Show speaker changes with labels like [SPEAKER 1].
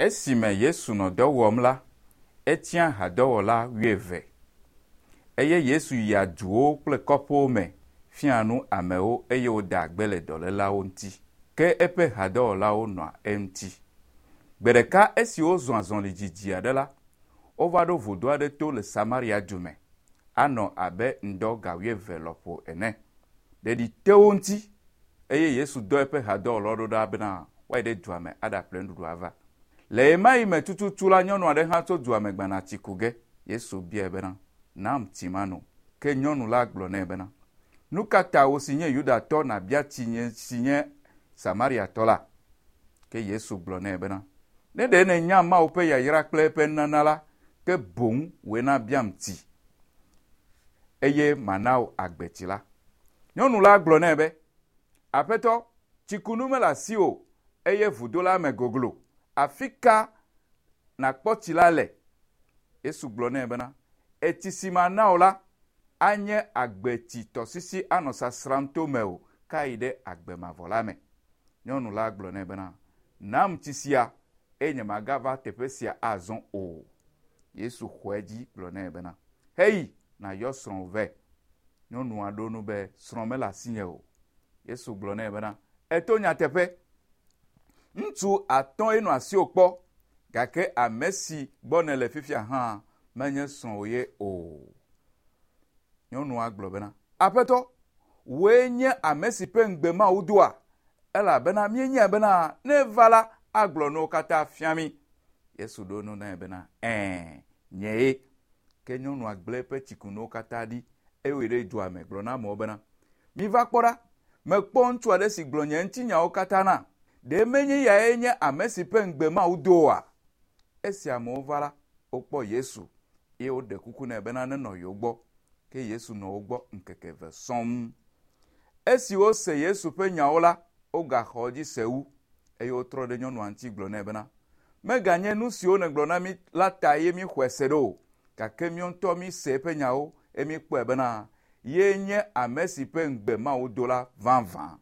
[SPEAKER 1] Esime Yesu nɔ dɔ wɔm la, etia hadɔwɔla wuieve. Eye Yesu yia duwo kple kɔƒewo me fiaa nu amewo eye wòdaa gbe le dɔlélawo ŋuti. Ke eƒe hadɔwɔlawo nɔa eŋuti. Gbe ɖeka esi wozɔ azɔli didi aɖe la, wova ɖo vudo aɖe to le Samaria du me, anɔ abe ŋdɔ ga wuieve lɔƒo ene. Ɖeɖi te wo ŋuti eye Yesu dɔ eƒe hadɔwɔlawo ɖo ɖa bena woayi ɖe dua me aɖaƒle nuɖuɖu ava. Le ɣemaɣi me tututu la, nyɔnu aɖe hã tso dua me gbana tsi ku ge. Yesu biae bena, Nam tsi mano. Ke nyɔnu la gblɔ nɛ bena, Nu ka ta wò si nye Yudatɔ nàbia tsi nye si nye Samariatɔ la? Ke Yesu gblɔ nɛ bena, Ne ɖe nènya Mawu ƒe yayra kple eƒe nunana la, ke boŋ wòe nabiam tsi, eye mana wò agbetsi la. Nyɔnu la gblɔ nɛ be, Aƒetɔ, tsikunu mele asiwò o, eye vudo la me goglo. Afi ka nàkpɔ tsi la le? Yesu gblɔ nɛ bena, Etsi si mana wò la, anye agbetsi tɔsisi anɔ sasram to mewò ke ayi ɖe agbe mavɔ la me. Nyɔnu la gblɔ nɛ bena, Nam tsi sia, eye nyemagava teƒe sia azɔ o. Yesu xɔ edzi gblɔ nɛ bena, Heyi, nàyɔ srɔ̃wò vɛ. Nyɔnua ɖo eŋu be, Srɔ̃ mele asinye o. Yesu gblɔ nɛ bena, Èto nyateƒe. Ŋutsu atɔ̃e nɔ asiwò kpɔ, gake ame si gbɔ nèle fifia hã menye srɔ̃wò ye o. Nyɔnua gblɔ bena, Aƒetɔ, wòe nye ame si ƒe ŋugbe Mawu doa? Elabena míenyae bena ne eva la, agblɔ nuwo katã fia mí. Yesu ɖo eŋu nɛ bena, Ɛ̃, nyee. Ke nyɔnua gblẽ eƒe tsikunuwo katã ɖi eye wòyi ɖe dua me gblɔ na amewo bena, Miva kpɔ ɖa, mekpɔ ŋutsu aɖe si gblɔ nye ŋutinyawo katã nam. Ɖe menye eyae nye ame si ƒe ŋugbe Mawu do oa? Esi amewo va la, wokpɔ Yesu eye woɖe kuku nɛ bena nenɔ yewo gbɔ. Ke Yesu nɔ wo gbɔ ŋkeke eve sɔŋ. Esi wose Yesu ƒe nyawo la, wogaxɔ edzi se wu, eye wotrɔ ɖe nyɔnua ŋuti gblɔ nɛ bena, Meganye nu siwo nègblɔ na mí la ta ye míxɔe se ɖo o, gake míawo ŋutɔ míse eƒe nyawo eye míekpɔe bena yee nye ame si ƒe ŋugbe Mawu do la vavã.